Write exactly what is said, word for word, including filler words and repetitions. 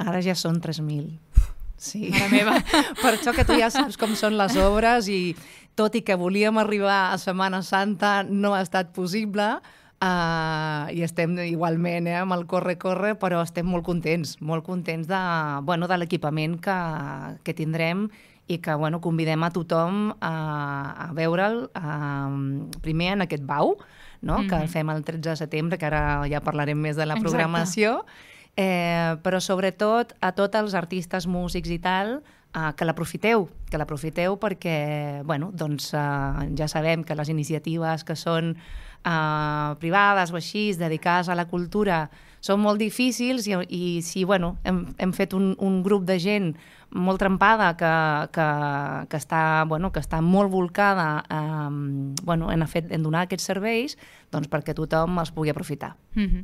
Ara ja són tres mil. Sí. Mare meva. Per això que tu ja saps com són les obres i tot i que volíem arribar a Setmana Santa no ha estat possible. Uh, i estem igualment eh, amb el corre-corre, però estem molt contents, molt contents de, bueno, de l'equipament que, que tindrem i que bueno, convidem a tothom a, a veure'l uh, primer en aquest bau, no? Mm-hmm. Que fem el tretze de setembre, que ara ja parlarem més de la programació, eh, però sobretot a tots els artistes, músics i tal, uh, que l'aprofiteu, que l'aprofiteu perquè bueno, doncs, uh, ja sabem que les iniciatives que són Uh, privades o així, dedicades a la cultura, són molt difícils i, i si bueno, hem, hem fet un, un grup de gent molt trempada que, que, que, està, bueno, que està molt volcada um, bueno, en, fet, en donar aquests serveis, doncs perquè tothom els pugui aprofitar. Mm-hmm.